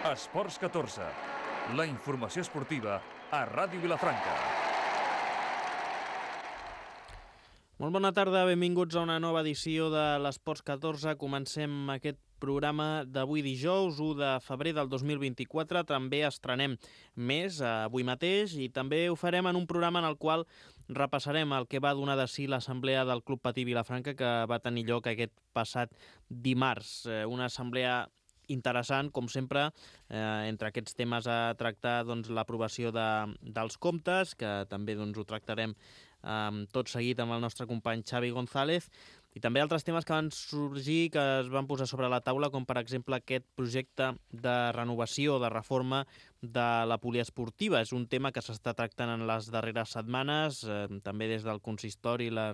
Esports 14, la informació esportiva a Ràdio Vilafranca. Molt bona tarda, benvinguts a una nova edició de l'Esports 14. Comencem aquest programa d'avui dijous, 1 de febrer del 2024. També estrenem més avui mateix i també ho farem en un programa en el qual repassarem el que va donar de si l'assemblea del Club Patí Vilafranca que va tenir lloc aquest passat dimarts. Una assemblea interessant, com sempre, entre aquests temes a tractar l'aprovació dels comptes, que també ho tractarem tot seguit amb el nostre company Xavi González, i també altres temes que van sorgir, que es van posar sobre la taula, com per exemple aquest projecte de renovació, de reforma de la poliesportiva. És un tema que s'està tractant en les darreres setmanes, també des del consistori i la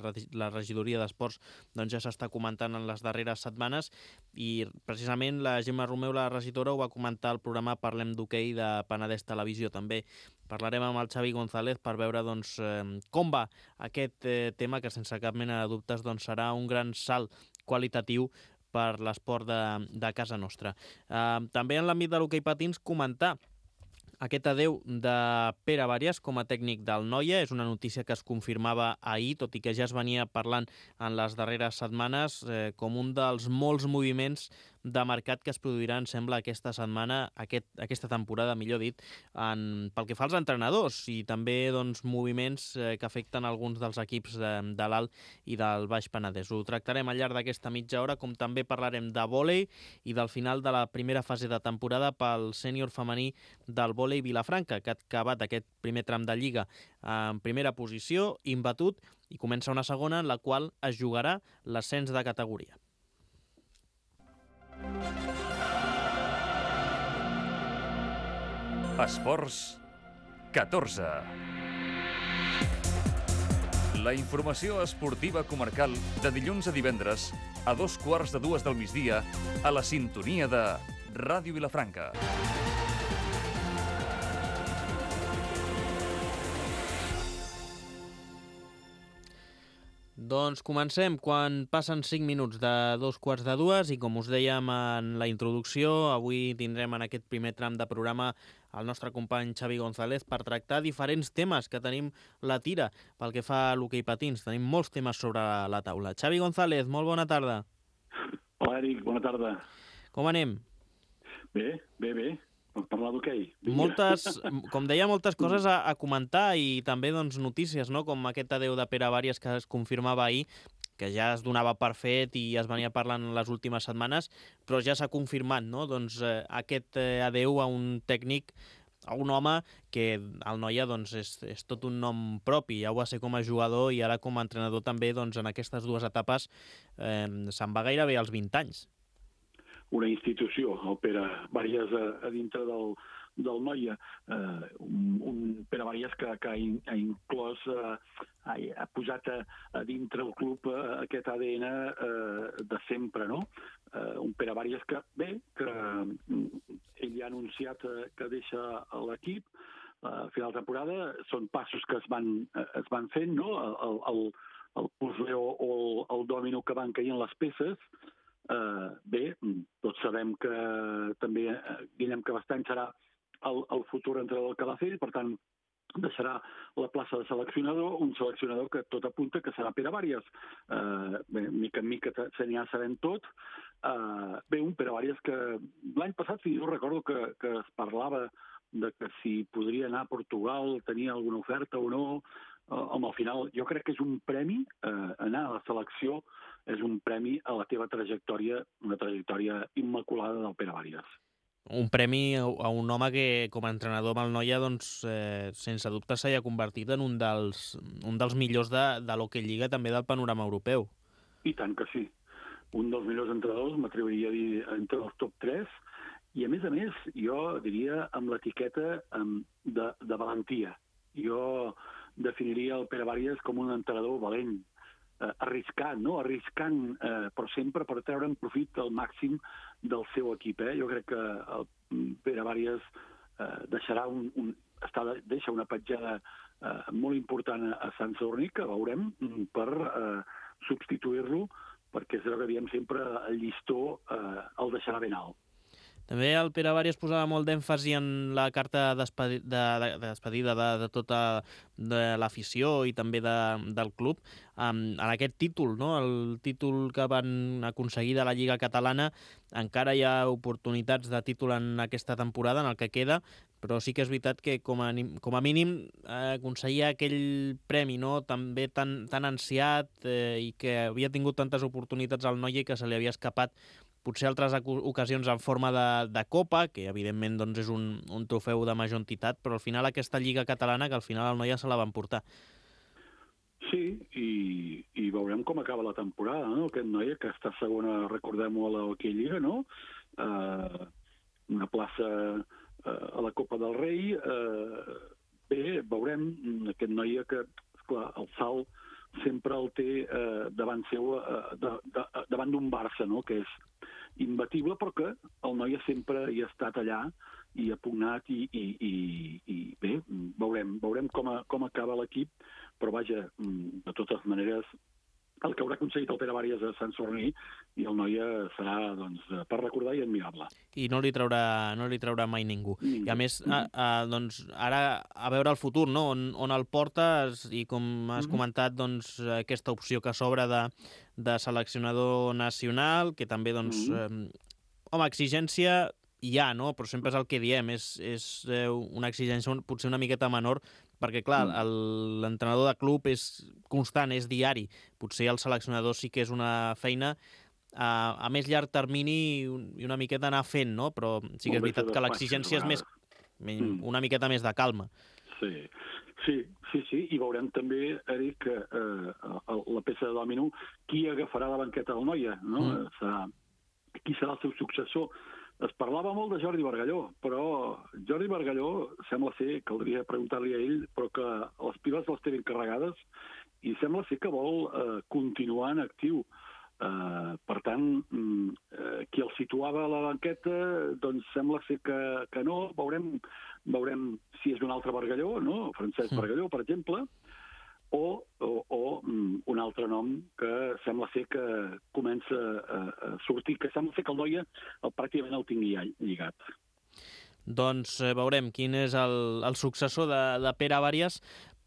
regidoria d'esports ja s'està comentant en les darreres setmanes, i precisament la Gemma Romeu, la regidora, ho va comentar al programa Parlem d'Hoquei de Penedès Televisió. També parlarem amb el Xavi González per veure com va aquest tema, que sense cap mena de dubtes serà un gran salt qualitatiu per l'esport de casa nostra. També en l'àmbit de l'hoquei patins comentar aquest adeu de Pere Bàries com a tècnic del Noia. És una notícia que es confirmava ahir, tot i que ja es venia parlant en les darreres setmanes, com un dels molts moviments de mercat que es produiran, sembla, aquesta setmana, aquesta temporada, millor dit, pel que fa als entrenadors, i també moviments que afecten alguns dels equips de l'Alt i del Baix Penedès. Ho tractarem al llarg d'aquesta mitja hora, com també parlarem de vòlei i del final de la primera fase de temporada pel sènior femení del vòlei Vilafranca, que ha acabat aquest primer tram de Lliga en primera posició, imbatut, i comença una segona en la qual es jugarà l'ascens de categoria. Esports 14. La informació esportiva comarcal de dilluns a divendres a 2:15 del migdia a la sintonia de Ràdio Vilafranca. Doncs comencem quan passen 5 minuts de 2:15, i com us dèiem en la introducció, avui tindrem en aquest primer tram de programa el nostre company Xavi González per tractar diferents temes que tenim la tira pel que fa a l'hoquei patins. Tenim molts temes sobre la taula. Xavi González, molt bona tarda. Hola, Eric, bona tarda. Com anem? Bé. Per parlar d'hoquei. Com deia, moltes coses a comentar, i també notícies, no? Com aquest adeu de Pere Bàries que es confirmava ahir, que ja es donava per fet i es venia parlant en les últimes setmanes, però ja s'ha confirmat, no? Aquest adeu a un tècnic, a un home que el Noia és tot un nom propi. Ja ho va ser com a jugador i ara com a entrenador també, en aquestes dues etapes se'n va gairebé als 20 anys. Una institució, el Pere Bàries a dintre del Noia. Un Pere Bàries que ha inclòs, ha posat a dintre el club aquest ADN de sempre, no? Un Pere Bàries que ell ja ha anunciat que deixa l'equip a final de temporada. Són passos que es van fent, no? El puzzle o el dòmino que van caient les peces. Tots sabem que també Guillem Cabestany serà el futur entrenador del Calafell, per tant deixarà la plaça de seleccionador, un seleccionador que tot apunta que serà Pere Bàries. Mica en mica se n'hi ha sabent tot. Un Pere Bàries que l'any passat, jo recordo que es parlava de que si podria anar a Portugal, tenia alguna oferta o no. Al final, jo crec que és un premi, anar a la selecció és un premi a la teva trajectòria, una trajectòria immaculada del Pere Bàries. Un premi a un home que, com a entrenador amb el Noia, sense dubte s'ha convertit en un dels millors de l'Hockey Lliga, també del panorama europeu. I tant que sí. Un dels millors entrenadors, m'atreviria a dir, entre els top 3, i a més, jo diria amb l'etiqueta de valentia. Jo definiria el Pere Bàries com un entrenador valent, arriscant, però sempre per treure'n profit al màxim del seu equip. Jo crec que el Pere Bàries deixa una petjada molt important a Sant Sadurní, que veurem, per substituir-lo, perquè és el que diem sempre, el llistó el deixarà ben alt. També el Pere Varies posava molt d'èmfasi en la carta de despedida de tota l'afició i també del club, en aquest títol, no? El títol que van aconseguir de la Lliga Catalana. Encara hi ha oportunitats de títol en aquesta temporada, en el que queda, però sí que és veritat que com a mínim aconseguir aquell premi, no? També tan ansiat i que havia tingut tantes oportunitats al Noia que se li havia escapat potser altres ocasions en forma de Copa, que evidentment doncs, és un trofeu de major entitat, però al final aquesta Lliga Catalana, que al final el Noia se la van portar. Sí, i veurem com acaba la temporada, no? Aquest Noia que està segona, recordem-ho, a l'Hockey Lliga, no? Una plaça a la Copa del Rei. Bé, veurem aquest Noia que, esclar, el salt sempre el té davant seu, davant d'un Barça, no? Que és imbatible, però que el Noia sempre hi ha estat allà i ha pugnat i bé, veurem com acaba l'equip, però vaja, de totes maneres, el que haurà aconseguit el Pere Varies a Sant Sadurní i el Noia serà, doncs, per recordar i admirable. I no li traurà mai ningú. I a més, doncs, ara a veure el futur, no? On el portes i com has comentat, doncs, aquesta opció que s'obre de seleccionador nacional, que també, doncs, home, exigència hi ha, no? Però sempre és el que diem, és una exigència potser una miqueta menor, perquè, clar, l'entrenador de club és constant, és diari. Potser el seleccionador sí que és una feina a més llarg termini i una miqueta anar fent, no? Però sí que és veritat que l'exigència és una miqueta més de calma. Sí, i veurem també, Eric, que la peça de dòmino, qui agafarà la banqueta del Noia, no? Qui serà el seu successor? Es parlava molt de Jordi Bargalló, però Jordi Bargalló sembla ser, caldria preguntar-li a ell, però que les piles les té ben carregades i sembla ser que vol continuar en actiu. Per tant, qui el situava a la banqueta, doncs sembla ser que no. Veurem si és un altre Bargalló, no? Francesc Bargalló, per exemple, o un altre nom que sembla ser que comença a sortir, que sembla ser que el Noia pràcticament el tingui lligat. Doncs veurem quin és el successor de Pere Varies,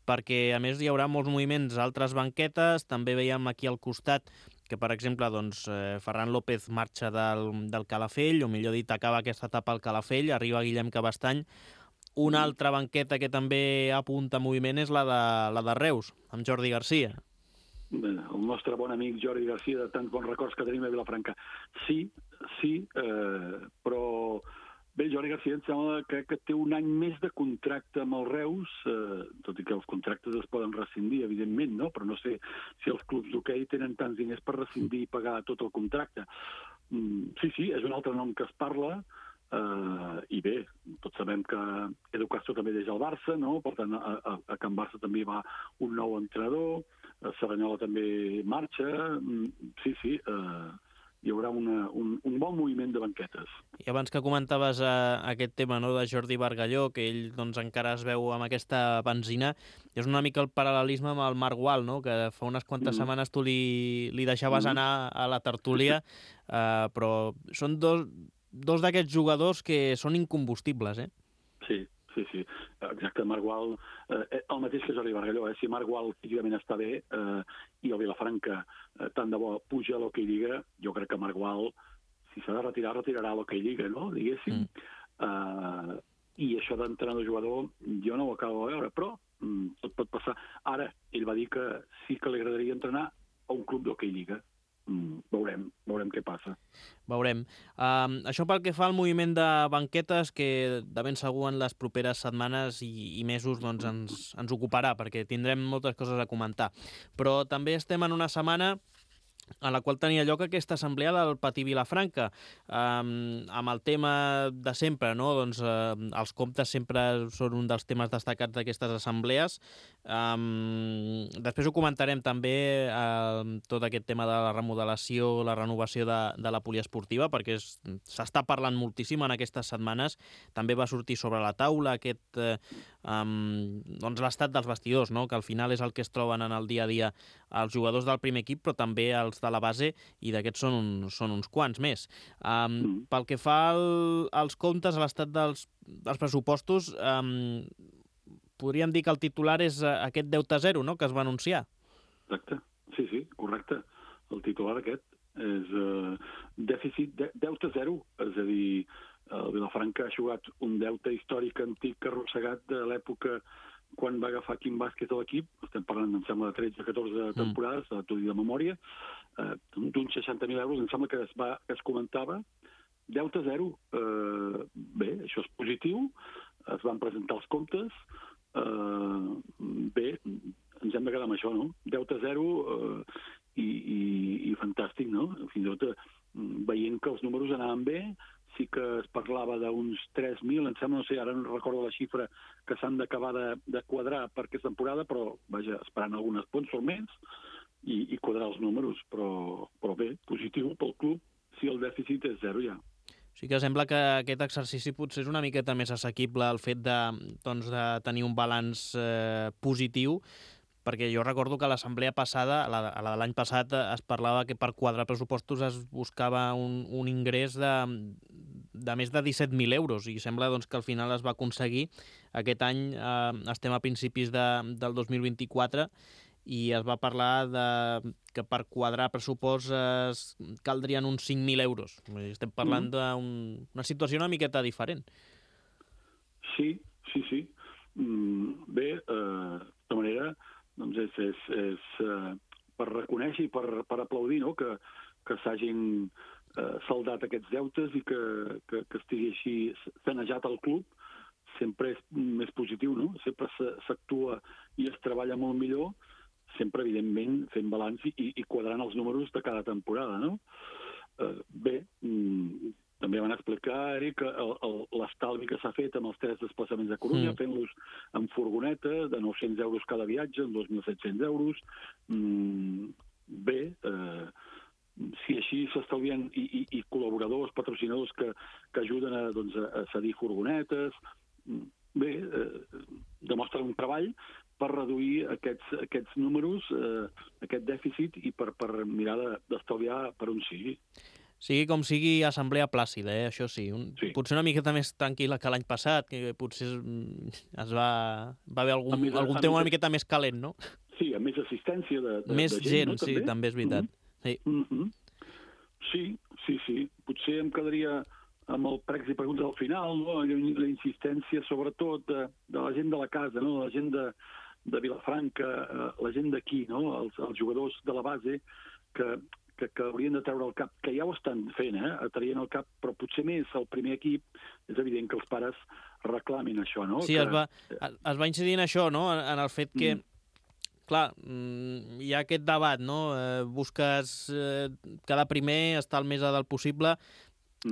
perquè a més hi haurà molts moviments a altres banquetes. També veiem aquí al costat que, per exemple, doncs, Ferran López marxa del Calafell, o millor dit, acaba aquesta etapa al Calafell, arriba Guillem Cabestany. Una altra banqueta que també apunta moviment és la de Reus, amb Jordi Garcia. El nostre bon amic Jordi Garcia, de tants bons records que tenim a Vilafranca. Sí, però bé, Jordi Garcia em sembla que té un any més de contracte amb el Reus, tot i que els contractes es poden rescindir, evidentment, no? Però no sé si els clubs d'hoquei tenen tants diners per rescindir i pagar tot el contracte. Sí, és un altre nom que es parla, i bé, tots sabem que Edu Castro també deixa el Barça, no? Per tant, a Can Barça també va un nou entrenador, Saranyola també marxa, sí, hi haurà un bon moviment de banquetes. I abans que comentaves aquest tema, no, de Jordi Bargalló, que ell doncs, encara es veu amb aquesta benzina, és una mica el paral·lelisme amb el Marc Gual, no? Que fa unes quantes setmanes tu li deixaves anar a la tertúlia, però són dos d'aquests jugadors que són incombustibles, eh? Sí, exacte. Marc Gual, el mateix que Jordi Bargalló, si Marc Gual físicament està bé i el Vilafranca tant de bo puja a l'Hockey Lliga, jo crec que Marc Gual, si s'ha de retirar, retirarà a l'Hockey Lliga, no? Diguéssim. I això d'entrenador-jugador jo no ho acabo de veure, però tot pot passar. Ara, ell va dir que sí que li agradaria entrenar a un club d'Hockey Lliga. Veurem què passa. Veurem. Això pel que fa al moviment de banquetes, que de ben segur en les properes setmanes i mesos doncs, ens ocuparà, perquè tindrem moltes coses a comentar. Però també estem en una setmana en la qual tenia lloc aquesta assemblea del Patí Vilafranca, amb el tema de sempre, no? Doncs, els comptes sempre són un dels temes destacats d'aquestes assemblees. Després ho comentarem també, tot aquest tema de la remodelació, la renovació de la poliesportiva, perquè s'està parlant moltíssim en aquestes setmanes. També va sortir sobre la taula doncs l'estat dels vestidors, no? Que al final és el que es troben en el dia a dia els jugadors del primer equip, però també els de la base, i d'aquests són uns quants més. Pel que fa als comptes, a l'estat dels pressupostos, podríem dir que el titular és aquest deute zero, no?, que es va anunciar. Exacte, sí, correcte. El titular aquest és deute zero, és a dir, el Vilafranca ha jugat un deute històric antic arrossegat de l'època quan va agafar Quim Vázquez a l'equip, estem parlant, em sembla, de 13-14 temporades, t'ho dic de memòria, d'uns 60.000 euros, em sembla que es comentava, deute zero. Bé, això és positiu, es van presentar els comptes, bé, ens hem de quedar amb això, no? Deute zero i fantàstic, no? Fins i tot veient que els números anaven bé, sí que es parlava d'uns 3.000, em sembla, no sé, ara no recordo la xifra, que s'han d'acabar de quadrar per aquesta temporada, però, vaja, esperant algun sponsor més i quadrar els números, però bé, positiu pel club si el dèficit és zero ja. Sí que sembla que aquest exercici potser és una miqueta més assequible al fet de tenir un balanç positiu, perquè jo recordo que a l'assemblea passada, a la de l'any passat, es parlava que per quadrar pressupostos es buscava un ingrés de més de 17.000 euros, i sembla que al final es va aconseguir. Aquest any estem a principis del 2024 i es va parlar que per quadrar pressupost caldrien uns 5.000 euros. Estem parlant d'una situació una miqueta diferent. Sí. Bé, de tota manera, doncs és per reconèixer i per aplaudir, no?, que s'hagin saldat aquests deutes i que estigui així sanejat el club. Sempre és més positiu, no? Sempre s'actua i es treballa molt millor, sempre, evidentment, fent balanç i quadrant els números de cada temporada, no? Bé, també van explicar, Eric, l'estalvi que s'ha fet amb els 3 desplaçaments a Corunya, fent-los en furgoneta, de 900 euros cada viatge, en 2.700 euros. Bé, si així s'estalvien i col·laboradors, patrocinadors que ajuden a cedir furgonetes, bé, demostra un treball per reduir aquests números, aquest dèficit, i per mirar d'estalviar per on sigui. Sigui com sigui, assemblea plàcida, això sí. Potser una miqueta més tranquil·la que l'any passat, que potser va haver algun tema una miqueta més calent, no? Sí, amb més assistència de més gent, no? Sí, també és veritat. Sí. Potser em quedaria amb el pregs i preguntes al final, no? La insistència, sobretot, de la gent de la casa, no? La gent de Vilafranca, la gent d'aquí, no? Els jugadors de la base, que haurien de treure el cap, que ja ho estan fent, traient el cap, però potser més el primer equip. És evident que els pares reclamin això, no? Sí, es va incidir en això, no? En el fet que, clar, hi ha aquest debat, no? Busques cada primer estar el més a dalt possible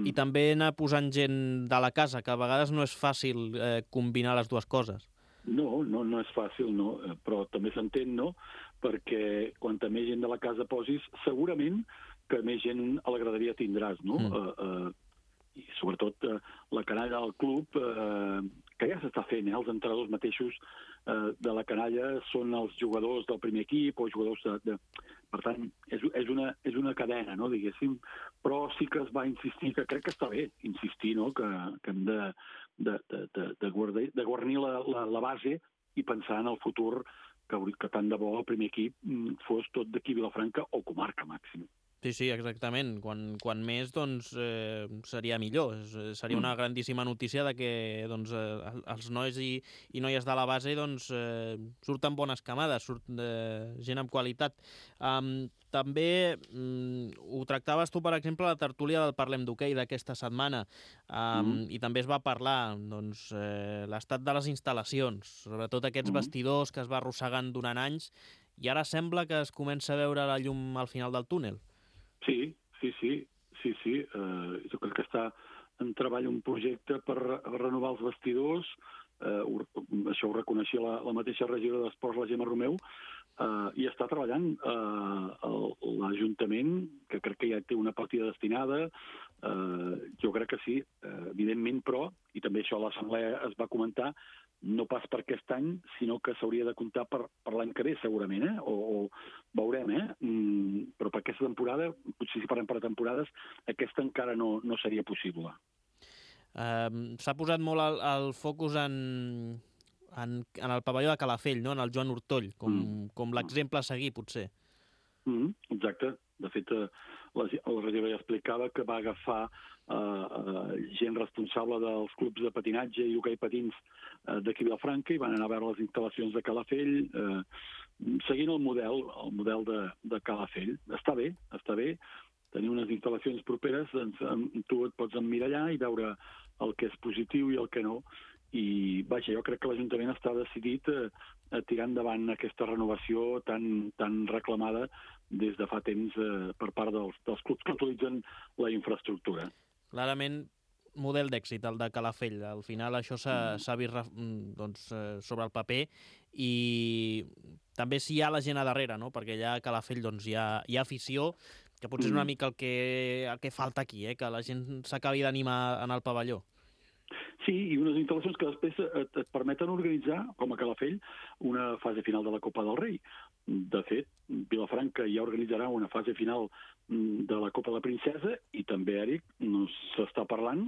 i també anar posant gent de la casa, que a vegades no és fàcil combinar les dues coses. No és fàcil, no? Però també s'entén, no? Perquè quanta més gent de la casa posis, segurament que més gent a la graderia tindràs, no? I sobretot la canalla del club, que ja s'està fent, els entrenadors mateixos de la canalla són els jugadors del primer equip o jugadors Per tant, és una cadena, no?, diguéssim, però sí que es va insistir, que crec que està bé insistir, no?, que hem de guarnir la base i pensar en el futur, que tant de bo el primer equip fos tot d'aquí Vilafranca o comarca màxim. Sí, exactament. Quan més, doncs, seria millor. Seria una grandíssima notícia de que els nois i noies de la base surten bones camades, surt gent amb qualitat. També ho tractaves tu, per exemple, a la tertúlia del Parlem d'Hoquei d'aquesta setmana, i també es va parlar l'estat de les instal·lacions, sobretot aquests vestidors que es va arrossegant durant anys, i ara sembla que es comença a veure la llum al final del túnel. Sí. Jo crec que està en treball un projecte per renovar els vestidors. Això ho reconeixia la mateixa regidora d'Esports, la Gemma Romeu, i està treballant l'Ajuntament, que crec que ja té una partida destinada. Jo crec que sí, evidentment, però, i també això a l'Assemblea es va comentar, no pas per aquest any, sinó que s'hauria de comptar per l'any que ve, segurament, o veurem, però per aquesta temporada, potser si parlem per temporades, aquesta encara no seria possible. S'ha posat molt el focus en el pavelló de Calafell, no? En el Joan Ortoll, com l'exemple a seguir, potser. Exacte. De fet, el regidor ja explicava que va agafar gent responsable dels clubs de patinatge i hoquei patins d'aquí a Vilafranca i van anar a veure les instal·lacions de Calafell, seguint el model de Calafell. Està bé tenir unes instal·lacions properes, tu et pots emmirallar i veure el que és positiu i el que no. I, vaja, jo crec que l'Ajuntament està decidit a tirar endavant aquesta renovació tan reclamada des de fa temps per part dels clubs que utilitzen la infraestructura. Clarament, model d'èxit, el de Calafell. Al final això s'ha vist sobre el paper i també si hi ha la gent a darrere, no? Perquè allà a Calafell hi ha afició, que potser és una mica el que falta aquí, que la gent s'acabi d'animar en el pavelló. Sí, i unes instal·lacions que després et permeten organitzar, com a Calafell, una fase final de la Copa del Rei. De fet, Vilafranca ja organitzarà una fase final de la Copa de la Princesa i també, Eric, s'està parlant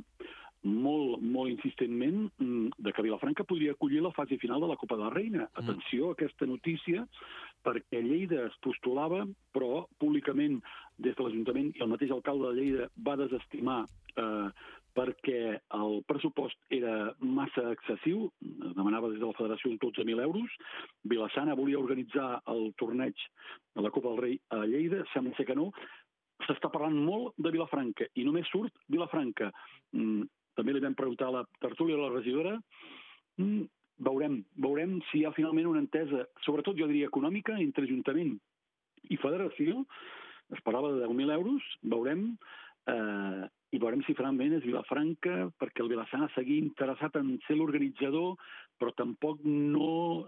molt, molt insistentment de que Vilafranca podria acollir la fase final de la Copa de la Reina. Atenció a aquesta notícia, perquè Lleida es postulava, però públicament des de l'Ajuntament i el mateix alcalde de Lleida va desestimar perquè el pressupost era massa excessiu, demanava des de la Federació uns 12.000 euros. Vila-sana volia organitzar el torneig de la Copa del Rei a Lleida, sembla ser que no. S'està parlant molt de Vilafranca i només surt Vilafranca. També li vam preguntar a la tertúlia de la regidora. Veurem si hi ha finalment una entesa, sobretot jo diria econòmica, entre Ajuntament i Federació. Es parlava de 10.000 euros, veurem, i veurem si finalment és Vilafranca, perquè el Vila-sana seguir interessat en ser l'organitzador, però tampoc no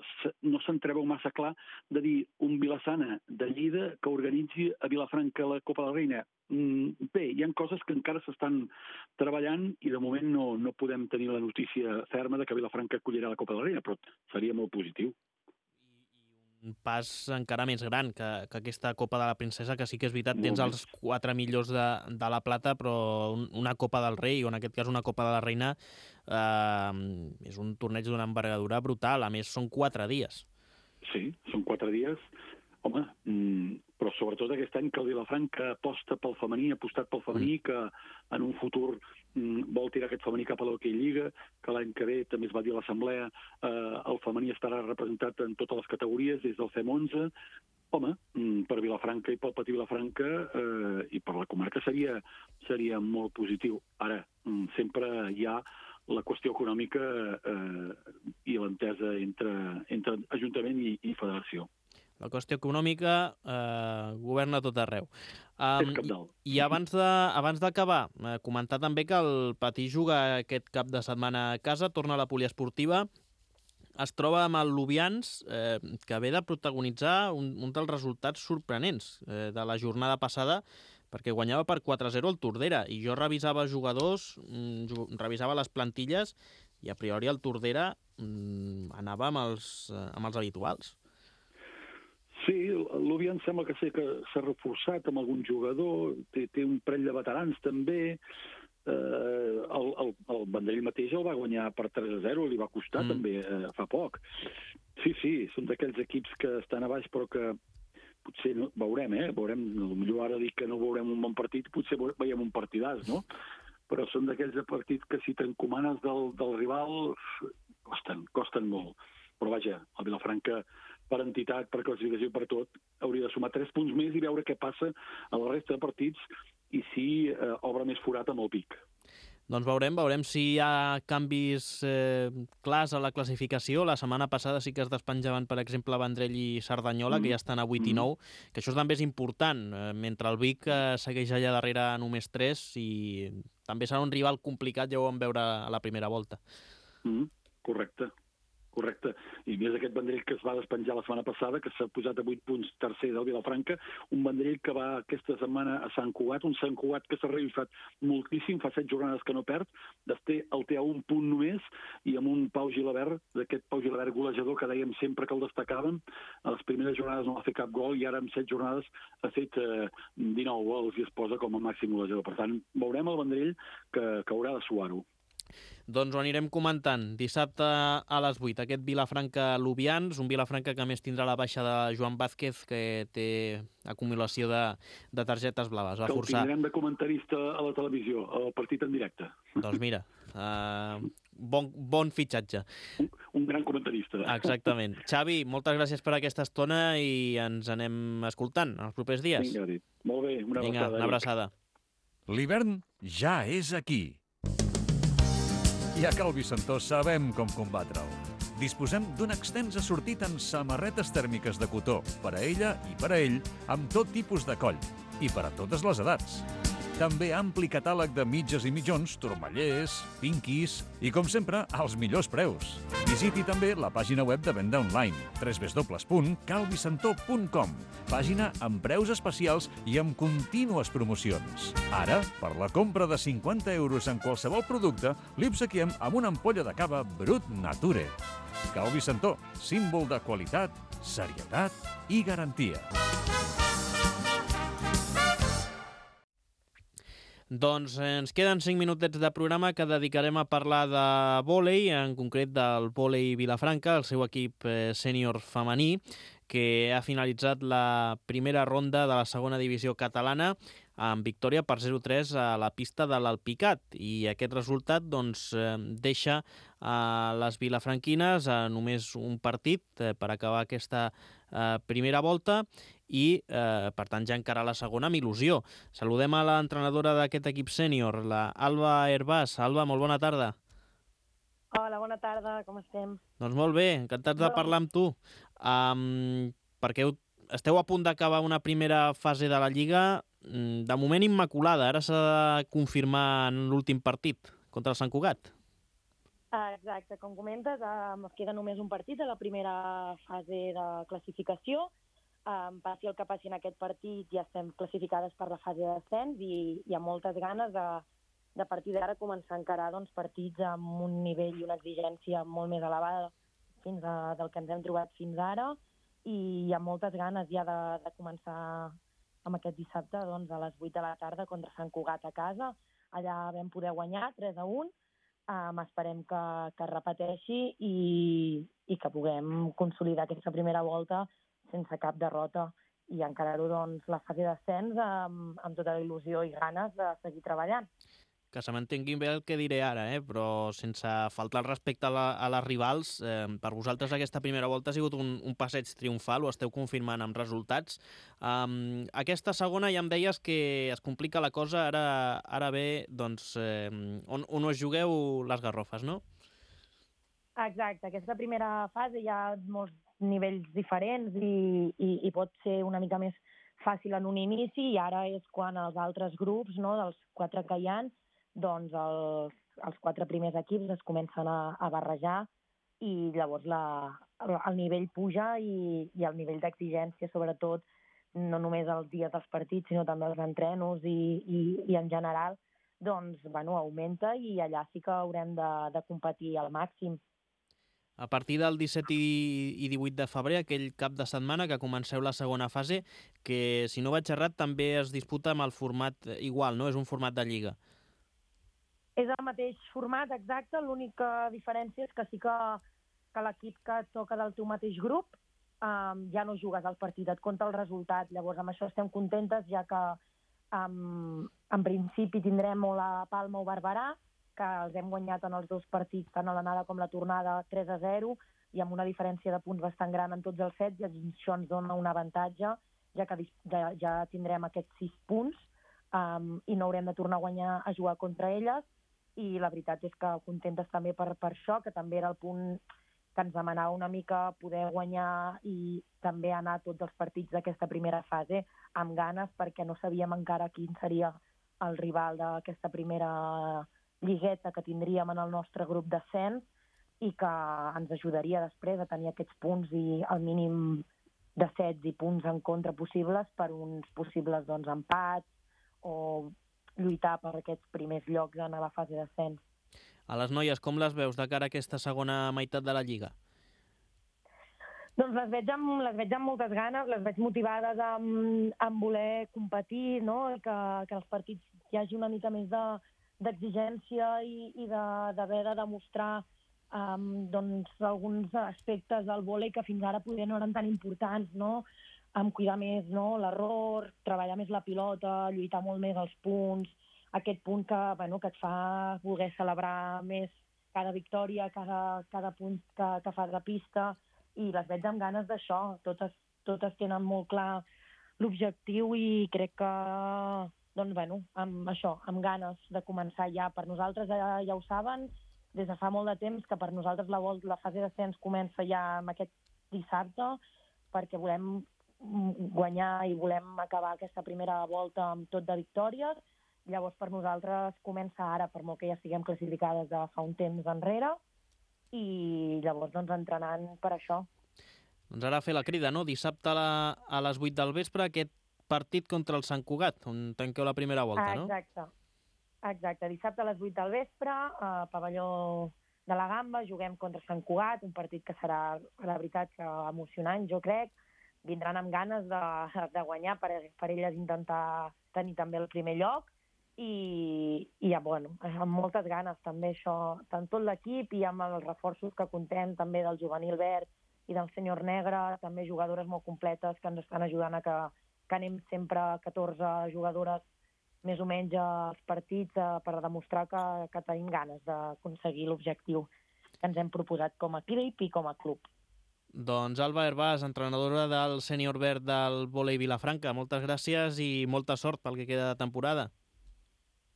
s'entreveu massa clar de dir un Vila-sana de Lleida que organitzi a Vilafranca la Copa de la Reina. Bé, hi ha coses que encara s'estan treballant i de moment no podem tenir la notícia ferma de que Vilafranca acollirà la Copa de la Reina, però seria molt positiu. Un pas encara més gran que aquesta Copa de la Princesa, que sí que és veritat, tens els 4 millors de la plata, però una Copa del Rei, o en aquest cas una Copa de la Reina, és un torneig d'una envergadura brutal. A més, són 4 dies. Sí, són 4 dies. Home, però sobretot aquest any que el Vilafranca aposta pel femení, ha apostat pel femení, que en un futur vol tirar aquest femení cap a l'Hockey Lliga, que l'any que ve també es va dir a l'Assemblea, el femení estarà representat en totes les categories, des del FEM11. Home, per Vilafranca i pel Petit Vilafranca i per la comarca seria molt positiu. Ara, sempre hi ha la qüestió econòmica i l'entesa entre Ajuntament i Federació. La qüestió econòmica governa tot arreu. És cabdal. I abans d'acabar, comentar també que el Patí juga aquest cap de setmana a casa, torna a la poliesportiva, es troba amb el Lubians, que ve de protagonitzar un dels resultats sorprenents de la jornada passada, perquè guanyava per 4-0 el Tordera, i jo revisava jugadors, revisava les plantilles, i a priori el Tordera anava amb els habituals. Sí, l'Ubian sembla que s'ha reforçat amb algun jugador, té un parell de veterans també. El Vendrell mateix el va guanyar per 3-0, li va costar també fa poc. Sí, són d'aquells equips que estan a baix però que potser veurem, potser ara dic que no veurem un bon partit, potser veiem un partidàs, no? Però són d'aquells partits que si t'encomanes del rival costen molt. Però vaja, el Vilafranca per entitat, per classificació, per tot, hauria de sumar 3 punts més i veure què passa a la resta de partits i si obre més forat amb el Vic. Doncs veurem si hi ha canvis clars a la classificació. La setmana passada sí que es despenjaven, per exemple, Vendrell i Cerdanyola, que ja estan a 8 i 9, que això també és important, mentre el Vic segueix allà darrere a només 3 i també serà un rival complicat, ja ho vam veure a la primera volta. Correcte. Correcte. I més aquest Vendrell que es va despenjar la setmana passada, que s'ha posat a 8 punts tercer del Vilafranca, un Vendrell que va aquesta setmana a Sant Cugat, un Sant Cugat que s'ha revifat moltíssim, fa 7 jornades que no perd, el té a un punt només, i amb un Pau Gilabert, d'aquest Pau Gilabert golejador que dèiem sempre que el destacàvem, a les primeres jornades no va fer cap gol i ara en 7 jornades ha fet 19 gols i es posa com a màxim golejador. Per tant, veurem el Vendrell que haurà de suar-ho. Doncs ho anirem comentant. Dissabte a les 8, aquest Vilafranca-Lubians, un Vilafranca que a més tindrà la baixa de Joan Vázquez, que té acumulació de targetes blaves. Que el tindrem de comentarista a la televisió, al partit en directe. Doncs mira, bon fitxatge. Un gran comentarista. Exactament. Xavi, moltes gràcies per aquesta estona i ens anem escoltant en els propers dies. Vinga, molt bé, una abraçada. Vinga, una abraçada. L'hivern ja és aquí. I a Cal Vicentó sabem com combatre'l. Disposem d'un extens assortit en samarretes tèrmiques de cotó, per a ella i per a ell, amb tot tipus de coll, i per a totes les edats. També ampli catàleg de mitges i mitjons, turmallers, pinquis i, com sempre, als millors preus. Visiti també la pàgina web de venda online, www.calvicentó.com, pàgina amb preus especials i amb contínues promocions. Ara, per la compra de 50 euros en qualsevol producte, li obsequiem amb una ampolla de cava Brut Nature. Cal Vicentó, símbol de qualitat, serietat i garantia. Doncs ens queden 5 minutets de programa que dedicarem a parlar de vòlei, en concret del vòlei Vilafranca, el seu equip sènior femení, que ha finalitzat la primera ronda de la segona divisió catalana amb victòria per 0-3 a la pista de l'Alpicat. I aquest resultat deixa les vilafranquines a només un partit per acabar aquesta primera volta i, per tant, ja encara la segona amb il·lusió. Saludem a l'entrenadora d'aquest equip sènior, la Alba Herbàs. Alba, molt bona tarda. Hola, bona tarda, com estem? Doncs molt bé, encantats de parlar amb tu. Perquè esteu a punt d'acabar una primera fase de la Lliga, de moment immaculada. Ara s'ha de confirmar en l'últim partit contra el Sant Cugat. Exacte, com comentes, queda només un partit a la primera fase de classificació. Passi el que passi en aquest partit, ja estem classificades per la fase d'ascens i hi ha moltes ganes de a partir d'ara començar a encarar partits amb un nivell i una exigència molt més elevada del que ens hem trobat fins ara, i hi ha moltes ganes ja de començar amb aquest dissabte a les 8 de la tarda contra Sant Cugat a casa. Allà vam poder guanyar 3-1, esperem que es repeteixi i que puguem consolidar aquesta primera volta sense cap derrota i encarar-ho la fase d'ascens amb tota la il·lusió i ganes de seguir treballant. Que se m'entengui bé el que diré ara, però sense faltar el respecte a les rivals, per vosaltres aquesta primera volta ha sigut un passeig triomfal, ho esteu confirmant amb resultats. Aquesta segona ja em deies que es complica la cosa, ara ve on us jugueu les garrofes, no? Exacte, aquesta primera fase hi ha molts nivells diferents i pot ser una mica més fàcil en un inici, i ara és quan els altres grups, dels 4 que hi ha, els 4 primers equips es comencen a barrejar i llavors el nivell puja i el nivell d'exigència, sobretot, no només els dies dels partits, sinó també els entrenos i en general, augmenta i allà sí que haurem de competir al màxim. A partir del 17 i 18 de febrer, aquell cap de setmana que comenceu la segona fase, que, si no vaig errat, també es disputa amb el format igual, no? És un format de lliga. És el mateix format, exacte. L'única diferència és que sí que l'equip que et toca del teu mateix grup ja no jugues al partit, et compta el resultat. Llavors, amb això estem contentes, ja que en principi tindrem o la Palma o Barberà, que els hem guanyat en els 2 partits, tant a l'anada com la tornada, 3-0, i amb una diferència de punts bastant gran en tots els sets, i això ens dona un avantatge, ja que ja tindrem aquests 6 punts i no haurem de tornar a jugar contra elles, i la veritat és que contentes també per això, que també era el punt que ens demanava una mica poder guanyar i també anar a tots els partits d'aquesta primera fase amb ganes, perquè no sabíem encara quin seria el rival d'aquesta primera lligueta que tindríem en el nostre grup d'ascens, i que ens ajudaria després a tenir aquests punts i el mínim de sets i punts en contra possibles per uns possibles empats o lluitar per aquests primers llocs en la fase d'ascens. A les noies, com les veus de cara a aquesta segona meitat de la Lliga? Doncs les veig amb moltes ganes, les veig motivades en voler competir, no? I que els partits hi hagi una mica més d'exigència i d'haver de demostrar alguns aspectes del vòlei que fins ara potser no eren tan importants, no? Cuidar més l'error, treballar més la pilota, lluitar molt més els punts, aquest punt que et fa voler celebrar més cada victòria, cada punt que fas de pista, i les veig amb ganes d'això. Totes tenen molt clar l'objectiu i crec que, amb ganes de començar ja. Per nosaltres ja ho saben, des de fa molt de temps, que per nosaltres la fase d'ascens comença ja amb aquest dissabte, perquè volem guanyar i volem acabar aquesta primera volta amb tot de victòries. Llavors, per nosaltres comença ara, per molt que ja estiguem classificades de fa un temps enrere, i llavors entrenant per això. Doncs ara fer la crida, no? Dissabte a les 8 del vespre, aquest partit contra el Sant Cugat, on tanqueu la primera volta, no? Exacte. Dissabte a les 8 del vespre, a pavelló de la Gamba, juguem contra Sant Cugat, un partit que serà, la veritat, emocionant, jo crec. Vindran amb ganes de guanyar per elles intentar tenir també el primer lloc i amb moltes ganes també això, tant tot l'equip i amb els reforços que contem també del juvenil verd i del senyor negre, també jugadores molt completes que ens estan ajudant a que anem sempre 14 jugadores més o menys als partits per demostrar que tenim ganes d'aconseguir l'objectiu que ens hem proposat com a equip i com a club. Doncs Alba Hervás, entrenadora del sènior verd del vòlei Vilafranca, moltes gràcies i molta sort pel que queda de temporada.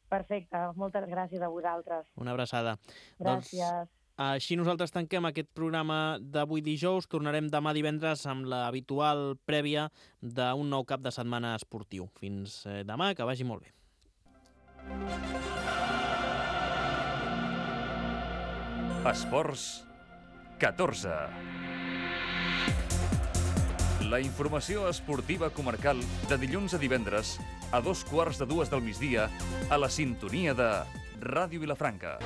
Perfecte, moltes gràcies a vosaltres. Una abraçada. Gràcies. Doncs, així nosaltres tanquem aquest programa d'avui dijous. Tornarem demà divendres amb l'habitual prèvia d'un nou cap de setmana esportiu. Fins demà, que vagi molt bé. Esports 14. La informació esportiva comarcal de dilluns a divendres a 2:15 del migdia a la sintonia de Ràdio Vilafranca.